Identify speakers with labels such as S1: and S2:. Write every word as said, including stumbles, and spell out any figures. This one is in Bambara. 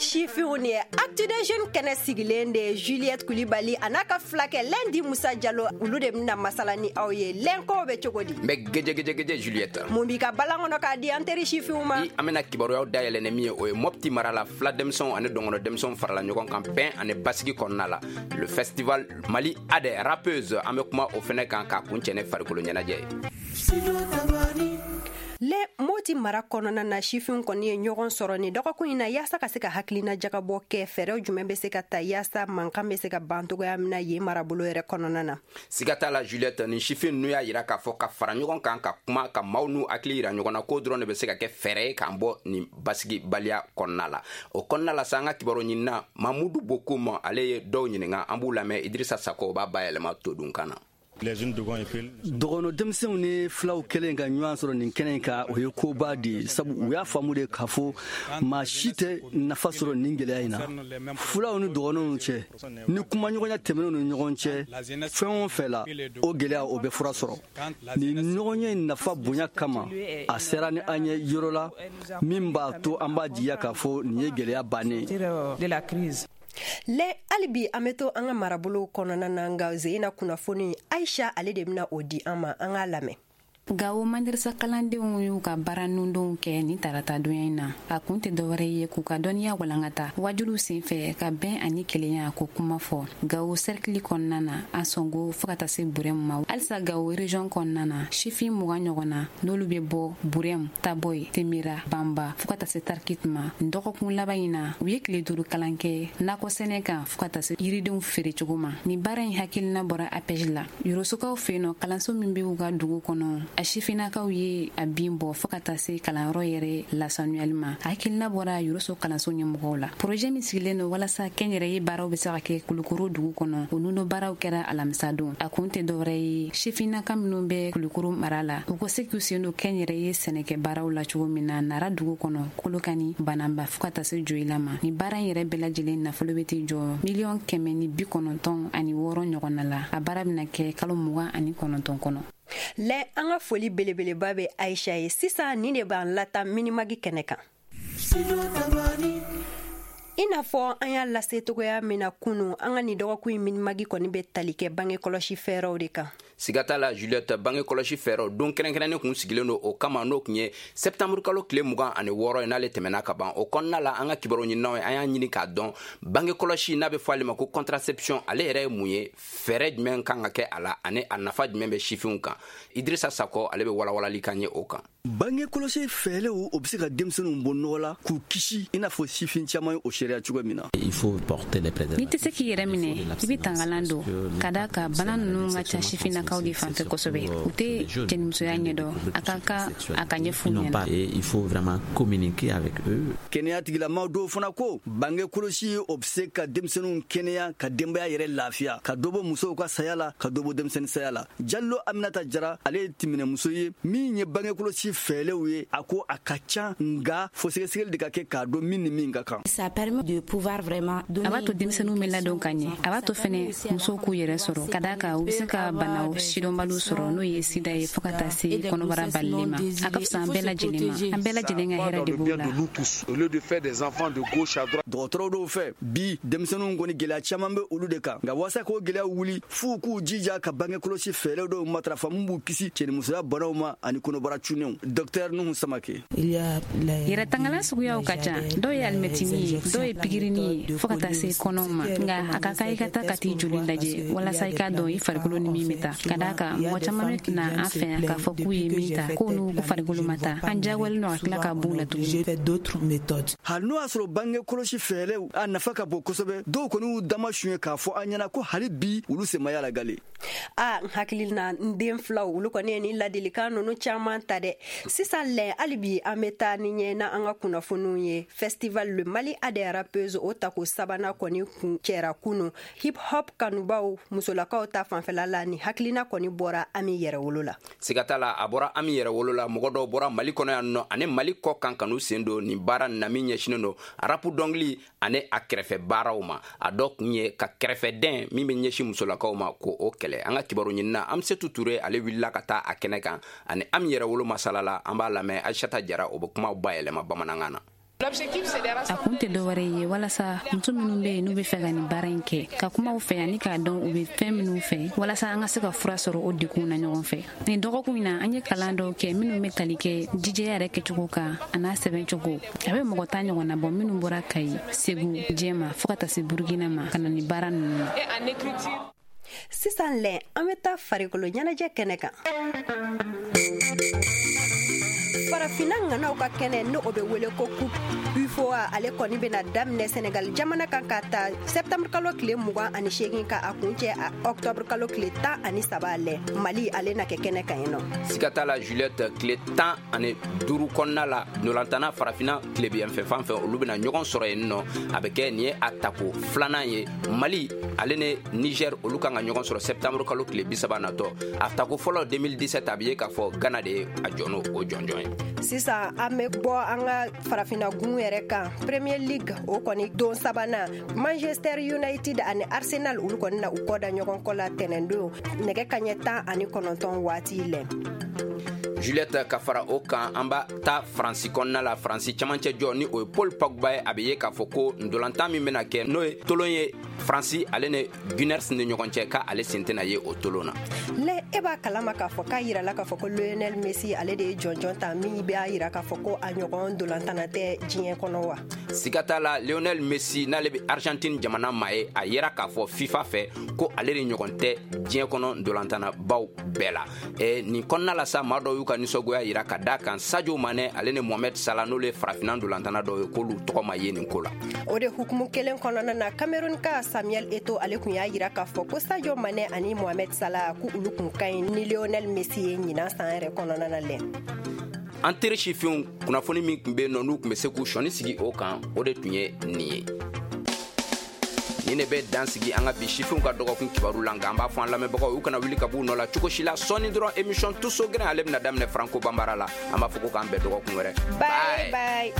S1: Sifinw, nin ye Actu des Jeunes kɛnɛ sigilen de ye. Juliette Kulibali a n'a ka filakɛ Lundi Musa Jalo, olu de bɛna masala ni aw ye. Lɛnkow bɛ cogo di?
S2: N bɛ gɛjɛgɛjɛgɛjɛ, Juliette.
S1: Mun b'i ka balan kɔnɔ k'a di an teri sifinw ma?
S2: I an bɛna kibaruyaw dayɛlɛ ni min ye, o ye Mɔpti mara la, fila denmisɛnw ani dɔngɔnɔ denmisɛnw farala ɲɔgɔn kan bɛn ani basigi kɔnɔna la. Le festival Mali a des rappeuses, an bɛ kuma o fɛnɛ kan k'a kuncɛ ni farikolo ɲɛnajɛ ye.
S1: Le Moti mara kɔnɔna na, sifinw kɔni ye ɲɔgɔn sɔrɔ ni dɔgɔkun in na yaasa ka se ka hakilina jagabɔ kɛ, fɛɛrɛw jumɛn bɛ se ka ta yaasa mankan bɛ se ka ban togoya min na yen marabolo yɛrɛ kɔnɔna na.
S2: Siga t'a la, Juliette, nin sifin ninnu y'a yira k'a fɔ ka fara ɲɔgɔn kan, ka kuma, ka maaw n'u hakili yira ɲɔgɔn na, k'o dɔrɔn de bɛ se ka kɛ fɛɛrɛ ye k'an bɔ nin basigibaliya kɔnɔna la. O kɔnɔna la sa, an ka kibaru ɲinina Mamudu Bokum, ale ye dɔw ɲininka, an b'u lamɛn. Idirisa Sako b'a bayɛlɛma todunkan na.
S3: Dɔgɔnɔ denmisɛnw ni filaw kɛlen ka ɲɔgɔn sɔrɔ nin kɛnɛ in kan, o ye koba de ye, sabu u y'a faamu de k'a fɔ maa si tɛ nafa sɔrɔ nin gɛlɛya in na fulaw ni dɔgɔnɔw cɛ. Ni kumaɲɔgɔnya tɛmɛnenw ni ɲɔgɔn cɛ fɛn o fɛn la, o gɛlɛya o bɛ fura sɔrɔ. Nin ɲɔgɔnye in nafa bonya kama, a sera ni an ye yɔrɔ la min b'a to an b'a jigiya k'a fɔ nin ye gɛlɛya bannen
S1: ye. Lɛ, hali bi an bɛ to an ka marabolow kɔnɔna na, nka zeyina kunnafoni, Aisha ale de bɛna o di an ma, an k'a lamɛn.
S4: Gawo madarasa kalandenw y'u ka baara nundonw kɛ ni tarata donya in na. A kun tɛ dɔwɛrɛ ye k'u ka dɔnniya walankata wajuliw senfɛ, ka bɛn ani kelenya ko kuma fɔ Gawo sɛrikili kɔnɔna na, a sɔngo fɔɔ ka taa se Burɛmu ma. Halisa Gawo region kɔnɔna na, sifin mugan ɲɔgɔn na, n'olu bɛ bɔ Burɛmu, Tabɔyi, Temira, Banba fɔɔ ka taa se Tarikit ma, dɔgɔkun laban in na, u ye tile duuru kalan kɛ nakɔ sɛnɛ kan fɔɔ ka taa se yiridenw feere cogo ma. Nin baara in hakilina bɔra A P E J la. Yorosokaw fɛ yen nɔ, kalanso min bɛ u ka dugu kɔnɔ, a sifinnakaw ye a bin bɔ fɔɔ ka taa se kalanyɔrɔ yɛrɛ lasanuyali ma. A hakilina bɔra Yoroso kalanso ɲɛmɔgɔw la. Projet min sigilen don walasa kɛnyɛrɛye baaraw bɛ se ka kɛ Kulukoro dugu kɔnɔ, o nuno baaraw kɛra alamisa don. A kun tɛ dɔwɛrɛ ye, sifinnaka minnu bɛ Kulukoro mara la, u ko se k'u sen don kɛnyɛrɛye sɛnɛkɛ baaraw la cogo min na Nara dugu kɔnɔ, Kolokani, Bananba fɔɔ ka taa se Joyila ma. Nin baara in yɛrɛ bɛɛ lajɛlen nafolo bɛ t'i jɔ miliyɔn kɛmɛ ni bi kɔnɔntɔn ani wɔɔrɔ ɲɔgɔnna la. A baara bɛna kɛ kalo mugan ani kɔnɔntɔn kɔnɔ.
S1: Lɛ, an ka foli belebeleba bɛ Aisha ye. Sisan nin de b'an lata Minimagi kɛnɛ kan. I n'a fɔ an y'a lase togoya min na kunu, an ka nin dɔgɔkun in Minimagi kɔni bɛ tali kɛ bange kɔlɔsi fɛɛrɛw de kan.
S2: Siga t'a la, Juliette, bange kɔlɔsi fɛɛrɛw don kɛrɛnkɛrɛnnen kun sigilen don o kama, n'o kun ye sɛptanburu kalo tile mugan ani wɔɔrɔ ye, n'ale tɛmɛna ka ban. O kɔnɔna la, an ka kibaru ɲininaw ye, an y'a ɲini k'a dɔn bange kɔlɔsi n'a bɛ fɔ ale ma ko contraception, ale yɛrɛ ye mun ye, fɛɛrɛ jumɛn kan ka kɛ a la, ani a nafa jumɛn bɛ sifinw kan. Idirisa Sakɔ, ale bɛ walawalali kan ye o kan.
S3: Bange kɔlɔsi fɛɛrɛw, o bɛ se ka denmisɛnninw bɔ nɔgɔ la k'u kisi, i n'a fɔ sifin caman ye o seereya cogo min na.
S4: N'i tɛ se k'i yɛrɛ minɛ, i bɛ tangalan don, ka da ka bana ninnu ka ca sifinnakaw de fanfɛ kosɛbɛ. U tɛ cɛnimusoya ɲɛdɔn, a ka kan a ka ɲɛf'u ɲɛna.
S3: Kɛnɛya tigilamaw dɔw fana ko bange kɔlɔsi, o bɛ se ka denmisɛnninw kɛnɛya, ka denbaya yɛrɛ lafiya, ka dɔ bɔ musow ka saya la, ka dɔ bɔ denmisɛnnin saya la. Jalo Aminata Jara, ale ye timinɛmuso ye min ye bange kɔlɔsi fɛɛrɛw ye. A ko a ka ca, nka fo sɛgɛsɛgɛli de ka kɛ k'a dɔn min ni min ka kan.
S4: A b'a to denmisɛnninw bɛ ladon ka ɲɛ. A b'a to fɛnɛ musow k'u yɛrɛ sɔrɔ, ka da kan u bɛ se ka banaw sidɔnbaliw sɔrɔ, n'o ye sida ye, fɔɔ ka taa se kɔnɔbara balilen ma. A ka fisa an bɛɛ lajɛlen ma, an bɛɛ lajɛlen ka hɛrɛ de b'o la.
S3: Dɔgɔtɔrɔw dɔw fɛ bi, denmisɛnninw kɔni, gɛlɛya caman bɛ olu de kan, nka waasa k'o gɛlɛya wuli, f'u k'u jija ka bange kɔlɔsi fɛɛrɛ dɔw matarafa min b'u kisi cɛnimusoya banaw ma ani kɔnɔbara cunnenw. Dɔktɛr Nuhu Samake.
S4: Yɛrɛ tangalan suguyaw ka ca. Dɔw ye alimɛtini ye, dɔw ye pikirini ye, fɔɔ ka taa se kɔnɔw ma. Nka a ka kan i ka taa ka t'i joli lajɛ walasa i k'a dɔn i farikolo ni min bɛ taa, ka d'a kan mɔgɔ caman bɛ na an fɛ yan k'a fɔ k'u ye min ta, k'o n'u farikolo ma taa. An diyagoyalen don ka tila ka b'u la tuguni.
S3: Hali n'o y'a sɔrɔ bange kɔlɔsi fɛɛrɛw a nafa ka bon kosɛbɛ, dɔw kɔni y'u dama suɲɛ k'a fɔ an ɲɛna ko hali bi olu senmaya la gale.
S1: A n hakili na, n den filaw, olu kɔni ye nin ladilikan ninnu caman ta dɛ. Sisan lɛ, hali bi an bɛ taa ni ɲɛ na an ka kunnafoniw ye. Festival Le Mali a des rappeuses, o tako sabanan kɔni kun cɛra kunu hip hop kanubaw musolakaw ta fanfɛla la. Ni hakilina kɔni bɔra Ami Yɛrɛwolo la.
S2: Siga t'a la, a bɔra Ami Yɛrɛwolo la. Mɔgɔ dɔw bɔra Mali kɔnɔ yan nɔ ani Mali kɔ kan ka n'u sen don nin baara na min ɲɛsinen don rap dɔnkili ani a kɛrɛfɛ baaraw ma. A dɔ kun ye ka kɛrɛfɛdɛn min bɛ ɲɛsin musolakaw ma, ko o kɛlɛ. An ka kibaru ɲinina Amsetu Ture, ale wulila ka taa a kɛnɛ kan ani Ami Yɛrɛwolo masala la. An b'a lamɛn. Aisata Jara, o bɛ kumaw bayɛlɛma bamanankan na.
S4: A kun tɛ dɔwɛrɛ ye walasa muso minnu bɛ yen n'u bɛ fɛ ka nin baara in kɛ, ka kuma u fɛ ani k'a dɔn u bɛ fɛn minnu fɛ, walasa an ka se ka fura sɔrɔ o degun na ɲɔgɔn fɛ. Nin dɔgɔkun in na, an ye kalan dɔw kɛ minnu bɛ tali kɛ jijɛya yɛrɛ kɛcogo kan a n'a sɛbɛncogo. A bɛ mɔgɔ tan ɲɔgɔn na bɔ minnu bɔra Kayi, Segu, Jɛma fo ka taa se Burukina ma ka na nin baara ninnu na.
S1: Sisan lɛ, an bɛ taa farikolo ɲɛnajɛ kɛnɛ kan. Farafinna ŋanaw ka kɛnɛ, ni o bɛ wele ko Coupe UFOA, ale kɔni bɛna daminɛ Senegal jamana kan ka ta septembre kalo tile mugan ani seegin ka a kuncɛ octobre kalo tile tan ani saba. Lɛ, Mali ale na kɛ kɛnɛ kan yen nɔ.
S2: Siga t'a la, Juliette, tile tan ani duuru kɔnɔna la, ntolantana farafinna tilebinyanfɛ fan fɛ, olu bɛna ɲɔgɔn sɔrɔ yen nɔ. A bɛ kɛ nin ye a tako filanan ye. Mali ale ni Niger, olu kan ka ɲɔgɔn sɔrɔ septembre kalo tile bi saba natɔ. A tako fɔlɔ deux mille dix-sept, a bɛ ye k'a fɔ Ghana de ye a jɔ n'o o jɔnjɔn ye.
S1: Sisan an bɛ bɔ an ka farafinna gun yɛrɛ kan. Premier League, o kɔni don sabanan, Manchester United ani Arsenal, olu kɔni na u kɔ da ɲɔgɔn kɔ la tɛnɛndon nɛgɛ kaɲɛ tan ani kɔnɔntɔn waati lɛ.
S2: Juliette, ka fara o kan, an b'a ta Faransi kɔnɔna la. Faransi camancɛ jɔ, ni o ye Paul Pogba ye, a bɛ ye k'a fɔ ko ndolantan min bɛna kɛ, n'o ye tolon ye Faransi ale ni Gunners ni ɲɔgɔn cɛ, k'ale sen tɛna ye o tolon na.
S1: Lɛ, e b'a kalama k'a fɔ k'a yirala k'a fɔ ko Lionel Messi, ale de ye jɔnjɔn ta min b'a yira k'a fɔ ko a ɲɔgɔn dolantana tɛ diɲɛ kɔnɔ wa?
S2: Siga t'a la, Lionel Messi, n'ale bɛ Argentine jamana maa ye, a yera k'a fɔ FIFA fɛ ko ale de ɲɔgɔn tɛ diɲɛ kɔnɔ dolantana baw bɛɛ la. E, nin kɔnɔna la sa, maa dɔw y'u ka nisɔngoya yira ka da kan Sadio Mane ale ni Mohamed Salah, n'olu ye farafinna dolantana dɔw ye, k'olu tɔgɔ ma ye nin ko la.
S1: O de hukumu kelen kɔnɔna na, Cameroun ka Samuel Eto'o, ale kun y'a yira k'a fɔ ko Sadio Mane ani Mohamed Salah, ko olu kun ka ɲi ni Lionel Messi ye ɲinan san yɛrɛ kɔnɔna na lɛ.
S2: An teri sifinw, kunnafoni min tun bɛ yen nɔ, n'u tun bɛ se k'u sɔnni sigi o kan, o de tun ye nin ye. Nin de bɛ dan sigi an ka bi sifinw ka dɔgɔkun kibaru la. Nka an b'a fɔ an lamɛnbagaw, u kana wuli ka b'u nɔ la cogo si la. Sɔɔni dɔrɔn, émission Tuso Gɛrɛn, ale bɛna daminɛ Franco Banbara la. An b'a fɔ ko k'an bɛn dɔgɔkun wɛrɛ.
S1: Bye bye.